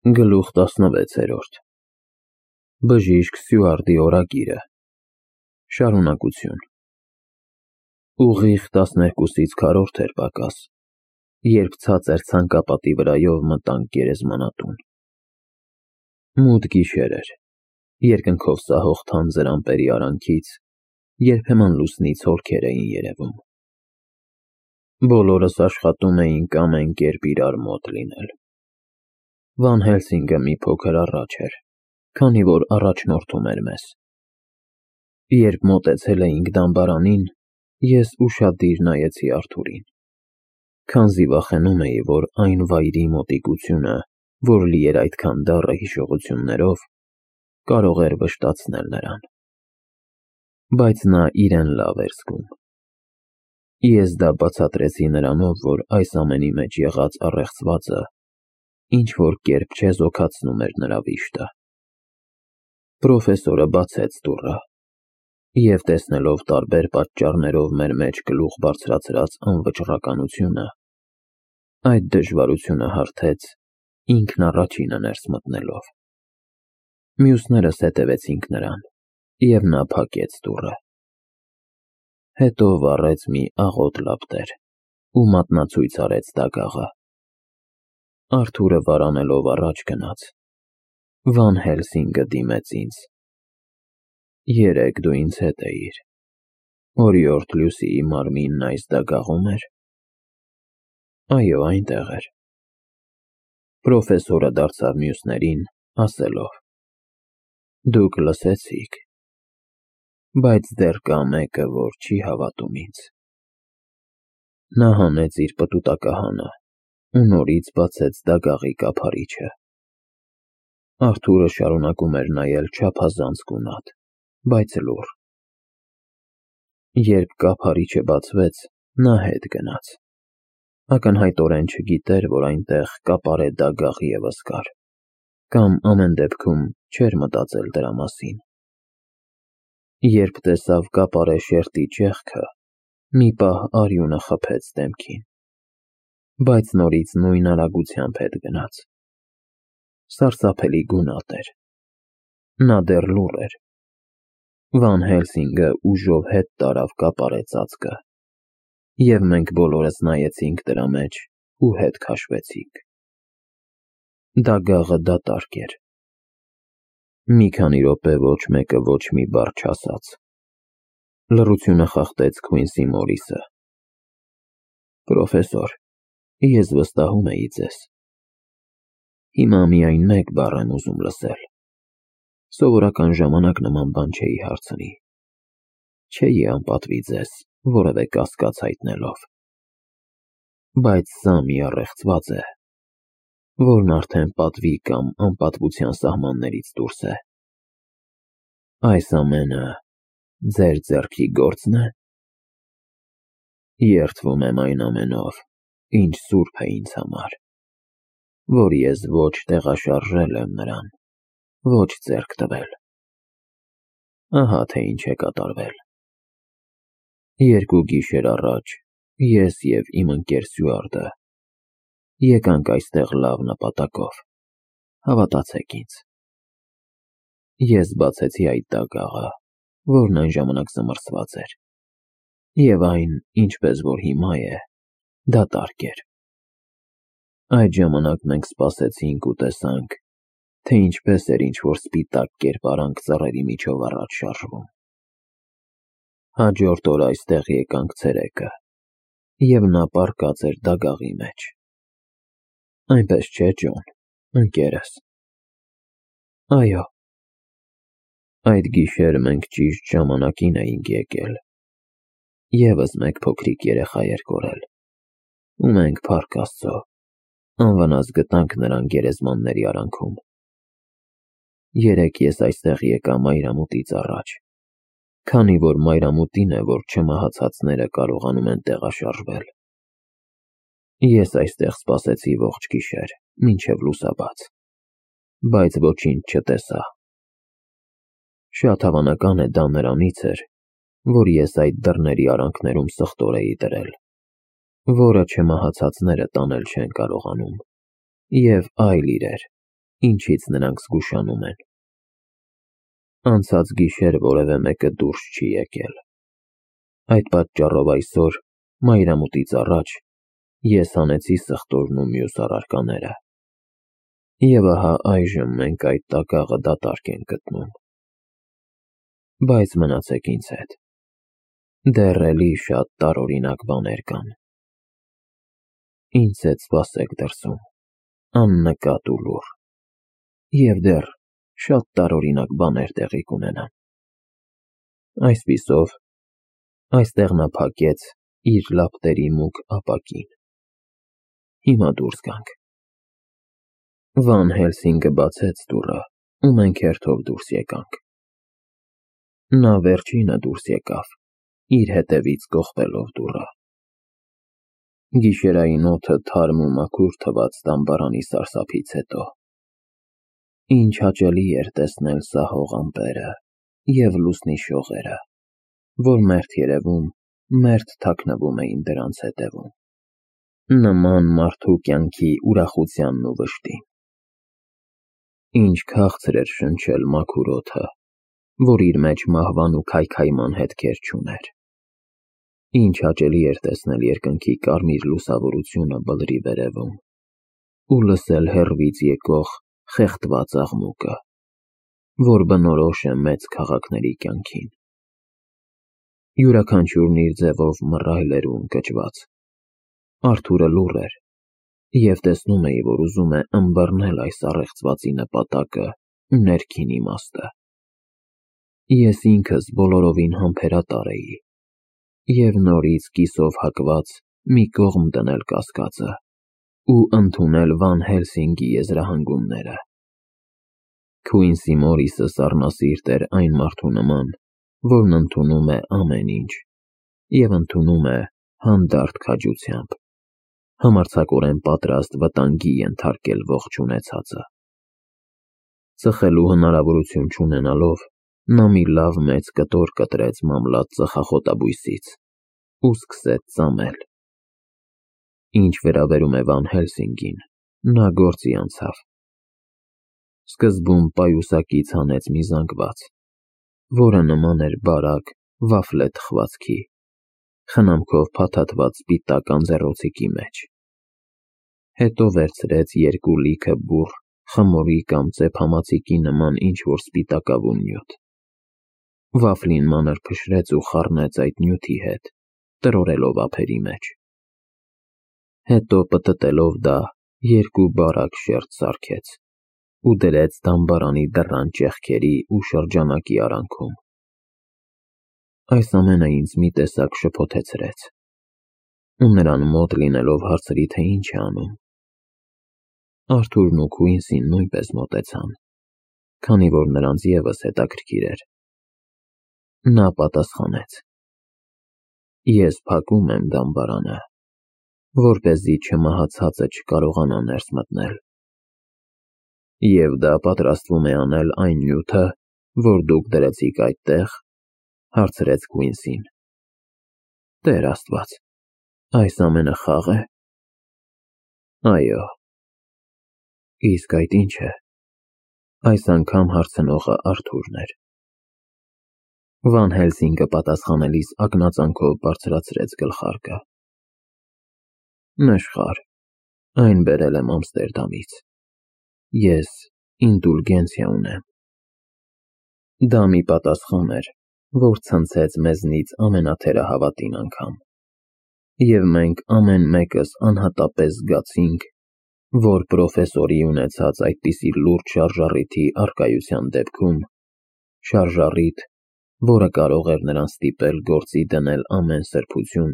Գլուխ 16 Բժիշկ Սյուարտի օրագիրը Շարունակություն Ուղիղ 12-ից քառորդ էր պակաս, երբ ցածր ցանկապատի վրայով մտանք գերեզմանատուն։ Մութ գիշեր էր, երկնքով սահող թանձր ամպերի արանքից երբեմն լուսնից հոլքեր էին երևում։ Բոլորս աշխատում էինք ամեն կերպ իրար մոտ լինել։ Վան Հելսինգը մի փոքր առաջ էր, քանի որ առաջնորդում էր մեզ։ Երբ մոտեցել էինք դամբարանին, ես ուշադիր նայեցի Արթուրին, քանզի վախենում էի, որ այն վայրի մոտիկությունը, որ լի էր այդքան դառը հիշողություններով, կարող էր վշտացնել նրան։ Բայց նա իրեն լավ էր զգում։ Ես դա բացատրեցի նրանով, որ այս ամենի մեջ եղած առեղծվածը ինչ-որ կերպ չեզոքացնում էր նրա վիշտը։ Պրոֆեսորը բացեց դուռը և, տեսնելով տարբեր պատճառներով մեր մեջ գլուխ բարձրացրած անվճռականությունը, այդ դժվարությունը հարթեց, ինքն առաջինը ներս մտնելով։ Մյուսներս հետևեցինք նրան, և նա փակեց դուռը։ Հետո վառեց մի աղոտ լապտեր ու մատնացույց արեց դագաղը։ Արթուրը վարանելով առաջ գնաց։ Վան Հելսինգը դիմեց ինձ։ Երեկ դու ինձ հետ էիր։ Օրիորդ Լյուսիի մարմինն այս դագաղում էր։ Այո, այնտեղ էր։ Պրոֆեսորը դարձավ մյուսներին, ասելով. Դուք լսեցիք, բայց դեռ կա մեկը, որ չի հավատում ինձ։ Նա հանեց իր պտուտակահանը ու նորից բացեց դագաղի կափարիչը։ Արթուրը շարունակում էր նայել չափազանց գունատ, բայց լուռ։ Երբ կափարիչը բացվեց, նա հետ գնաց։ Ակնհայտորեն չգիտեր, որ այնտեղ կապարե դագաղ ևս կար, կամ ամեն դեպքում չէր մտածել դրա մասին։ Երբ տեսավ կապարե շերտի ճեղքը, մի պահ արյունը խփեց դեմքին, բայց նորից նույն արագությամբ հետ գնաց։ Սարսափելի գունատ էր։ Նա դեռ լուռ էր։ Վան Հելսինգը ուժով հետ տարավ կապարե ծածկը, և մենք բոլորս նայեցինք դրա մեջ ու հետ քաշվեցինք։ Դագաղը դատարկ էր։ Մի քանի րոպե ոչ մեկը ոչ մի բառ չասաց։ Լռությունը խախտեց Քվինսի Մորիսը։ Պրոֆեսոր, ես վստահում էի ձեզ։ Հիմա միայն մեկ բառ եմ ուզում լսել։ Սովորական ժամանակ նման բան չէի հարցնի։ Չէի անպատվի ձեզ, որևէ կասկած հայտնելով։ Բայց սա մի առեղծված է, որն արդեն պատվի կամ անպատվության սահմաններից դուրս է։ Այս ամենը ձեր ձեռքի գործն է։ Երդվում եմ այն ամենով, ինչ սուրբ է ինձ համար, որ ես ոչ տեղաշարժել եմ նրան, ոչ ձեռք տվել։ Ահա թե ինչ է կատարվել։ 2 գիշեր առաջ ես և իմ ընկեր Սյուարտը եկանք այստեղ լավ նպատակով, հավատացեք ինձ։ Ես բացեցի այդ դագաղը, որն այն ժամանակ զմռսված էր, և այն, ինչպես որ հիմա է, դատարկ էր։ Այդ ժամանակ մենք սպասեցինք ու տեսանք, թե ինչպես էր ինչ-որ սպիտակ կերպարանք ծառերի միջով առաջ շարժվում։ Հաջորդ օր այստեղ եկանք ցերեկը, և նա պառկած էր դագաղի մեջ։ Այնպես չէ՞, Ջոն, ընկերս։ Այո։ Այդ գիշեր մենք ճիշտ ժամանակին էինք եկել։ Եվս մեկ փոքրիկ երեխա էր կորել, ու մենք, փառք Աստծո, անվնաս գտանք նրան գերեզմանների արանքում։ Երեկ ես այստեղ եկա մայրամուտից առաջ, քանի որ մայրամուտին է, որ չմահացածները կարողանում են տեղաշարժվել։ Ես այստեղ սպասեցի ողջ գիշեր, մինչև լուսաբաց, բայց ոչինչ չտեսա։ Շատ հավանական է դա նրանից էր, որ ես այդ դռների արանքներում սխտոր էի դրել, որը չմահացածները տանել չեն կարողանում, և այլ իրեր, ինչից նրանք զգուշանում են։ Անցած գիշեր որևէ մեկը դուրս չի եկել։ Այդ պատճառով այսօր, մայրամուտից առաջ, ես հանեցի սխտորն ու մյուս առարկաները։ Եվ ահա այժմ մենք այդ տակաղը դատարկ ենք գտնում։ Բայց մնացեք ինձ հետ։ Դեռ էլի շատ տարօրինակ բաներ կան։ Ինձ հետ սպասեք դրսում, աննկատ ու լուռ, և դեռ շատ տարօրինակ բաներ տեղի կունենան։ Այսպիսով, այստեղ նա փակեց իր լապտերի մուգ ապակին։ Հիմա դուրս գանք։ Վան Հելսինգը բացեց դուռը, ու մենք հերթով դուրս եկանք։ Նա վերջինը դուրս եկավ, իր հետևից կողպելով դուռը։ Գիշերային օդը թարմ ու մաքուր թվաց դամբարանի սարսափից հետո։ Ինչ հաճելի էր տեսնել սահող ամպերը և լուսնի շողերը, որ մերթ երևում, մերթ թաքնվում էին դրանց հետևում, նման մարդու կյանքի ուրախությանն ու վշտին։ Ինչ քաղցր էր շնչել մաքուր օդը, որ իր մեջ մահվան ու քայքայման հետքեր չուներ։ Ինչ հաճելի էր տեսնել երկնքի կարմիր լուսավորությունը բլրի վերևում ու լսել հեռվից եկող խեղդված աղմուկը, որ բնորոշ է մեծ քաղաքների կյանքին։ Յուրաքանչյուրն իր ձևով մռայլ էր ու ընկճված։ Արթուրը լուռ էր, և տեսնում էի, որ ուզում է ըմբռնել այս առեղծվածի նպատակը ու ներքին իմաստը։ Ես ինքս բոլորովին համբերատար էի, և նորից կիսով հակված մի կողմ դնել կասկածը ու ընդունել Վան Հելսինգի եզրահանգումները։ Քուինսի Մորիսը սառնասիրտ էր այն մարդու նման, որն ընդունում է ամեն ինչ և ընդունում է հանդարտ քաջությամբ, համարձակորեն պատրաստ վտանգի ենթարկել ողջ ունեցածը։ Ծխելու հնարավորություն չունենալով, նա մի լավ մեծ կտոր կտրեց մամլած ծխախոտաբույսից ու սկսեց ծամել։ Ինչ վերաբերում է Վան Հելսինգին, նա գործի անցավ։ Սկզբում պայուսակից հանեց մի զանգված, որը նման էր բարակ վաֆլե թխվածքի, խնամքով փաթաթված սպիտակ անձեռոցիկի մեջ։ Հետո վերցրեց երկու լիքը բուռ խմորի կամ ծեփամածիկի նման ինչ-որ սպիտակավուն նյութ։ Վաֆլին մանր փշրեց ու խառնեց այդ նյութի հետ, տրորելով ափերի մեջ։ Հետո պտտելով դա երկու բարակ շերտ սարքեց ու դրեց դամբարանի դռան ճեղքերի ու շրջանակի արանքում։ Այս ամենը ինձ մի տեսակ շփոթեցրեց, ու նրան մոտ լինելով հարցրի, թե ինչ է անում։ Արթուրն ու Քուինսին նույնպես մոտեցան, քանի որ նրանց ևս հետաքրքիր էր։ Նա պատասխանեց. Ես փակում եմ դամբարանը, որպեսզի չմահացածը չկարողանա ներս մտնել։ Եվ դա պատրաստվում է անել այն նյութը, որ դուք դրեցիք այդտեղ, հարցրեց Քուինսին։ Տեր Աստված, այս ամենը խաղ է։ Այո։ Իսկ այդ ինչ է։ Այս անգամ հարցնողը Արթուրն էր։ Վան Հելսինգը պատասխանելիս ակնածանքով բարձրացրեց գլխարկը։ Նշխար, այն բերել եմ Ամստերդամից։ Ես ինդուլգենցիա ունեմ։ Դա մի պատասխան էր, որ ցնցեց մեզնից ամենաթերահավատին անգամ։ Եվ մենք ամեն մեկս անհատապես զգացինք, որ պրոֆեսորի ունեցած այդպիսի լուրջ շարժառիթի առկայության դեպքում, շարժառիթ, որը կարող էր նրան ստիպել գործի դնել ամեն սրբություն,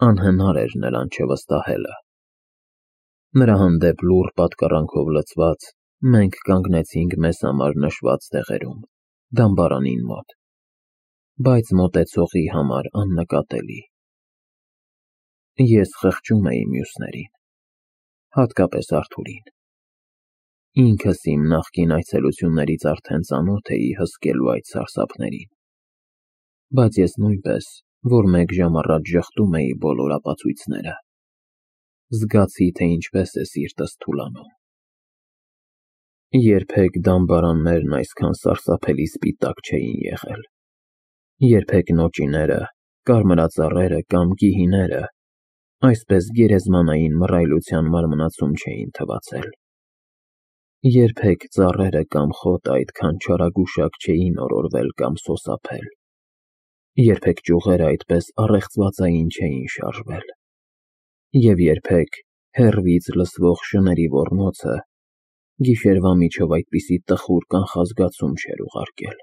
անհնար էր նրան չվստահելը։ Նրա հանդեպ լուռ պատկառանքով լցված, մենք կանգնեցինք մեզ համար նշված տեղերում, դամբարանին մոտ, բայց մոտեցողի համար աննկատելի։ Ես խղճում էի մյուսներին, հատկապես Արթուրին։ Ինքս իմ նախկին այցելություններից արդեն ծանոթ էի հսկելու այդ սարսափներին, բայց ես նույնպես, որ մեկ ժամ առաջ ժխտում էի բոլոր ապացույցները, զգացի, թե ինչպես է սիրտս թուլանում։ Երբեք դամբարաններն այսքան սարսափելի սպիտակ չէին եղել, երբեք նոճիները, կարմրածառերը կամ գիհիները այսպես գերեզմանային մռայլության մարմնացում չէին թվացել, երբեք ծառերը կամ խոտը այդքան չարագուշակ չէին օրորվել կամ սոսափել, երբեք ճյուղերը այդպես առեղծվածային չէին շարժվել, և երբեք հեռվից լսվող շների ոռնոցը գիշերվա միջով այդպիսի տխուր կանխազգացում չէր ուղարկել։